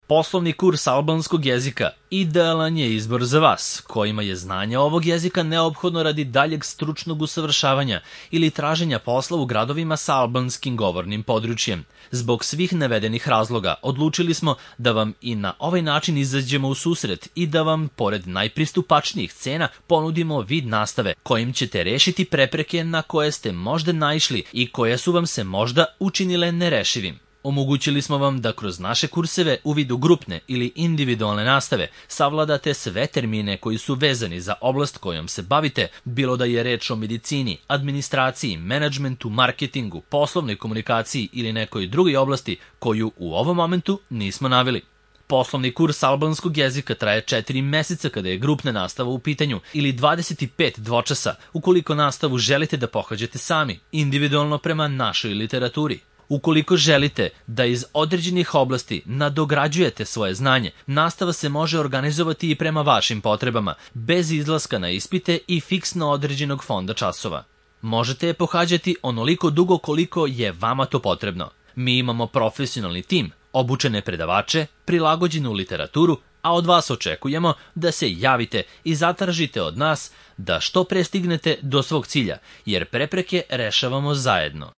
Poslovni kurs albanskog jezika idealan je izbor za vas, kojima je znanje ovog jezika neophodno radi daljeg stručnog usavršavanja ili traženja posla u gradovima sa albanskim govornim područjem. Zbog svih navedenih razloga odlučili smo da vam i na ovaj način izađemo u susret i da vam, pored najpristupačnijih cena, ponudimo vid nastave kojim ćete rešiti prepreke na koje ste možda naišli i koje su vam se možda učinile nerešivim. Omogućili smo vam da kroz naše kurseve u vidu grupne ili individualne nastave savladate sve termine koji su vezani za oblast kojom se bavite, bilo da je reč o medicini, administraciji, menadžmentu, marketingu, poslovnoj komunikaciji ili nekoj drugoj oblasti koju u ovom momentu nismo naveli. Poslovni kurs albanskog jezika traje 4 meseca kada je grupna nastava u pitanju ili 25 dvočasa ukoliko nastavu želite da pohađate sami, individualno prema našoj literaturi. Ukoliko želite da iz određenih oblasti nadograđujete svoje znanje, nastava se može organizovati i prema vašim potrebama, bez izlaska na ispite i fiksno određenog fonda časova. Možete je pohađati onoliko dugo koliko je vama to potrebno. Mi imamo profesionalni tim, obučene predavače, prilagođenu literaturu, a od vas očekujemo da se javite i zatražite od nas da što pre stignete do svog cilja, jer prepreke rešavamo zajedno.